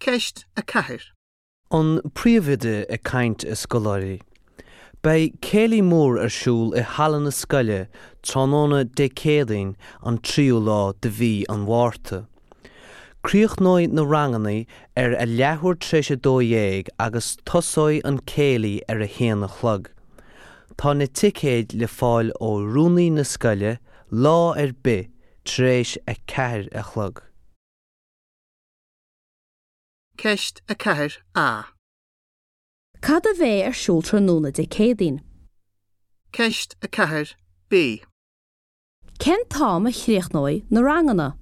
Ceist 4. An Príomhoide ag caint a scoláirí. Beidh céilí mór ar siúl i halla na scoile tráthnóna Dé Céadaoin an tríú lá de mhí an Mhárta. Críochnóidh na ranganna ar a leathuair tar éis 12 agus tosóidh an céilí ar a haon a chlog. Tá na ticéid le fáil ó rúnaí na scoile lá ar bith tar éis a 4 a chlog. Ceist 4A. Cad a bheidh ar siúl tráthnóna Dé Céadaoin? Ceist 4B. Cén t-am a chríochnóidh na ranganna?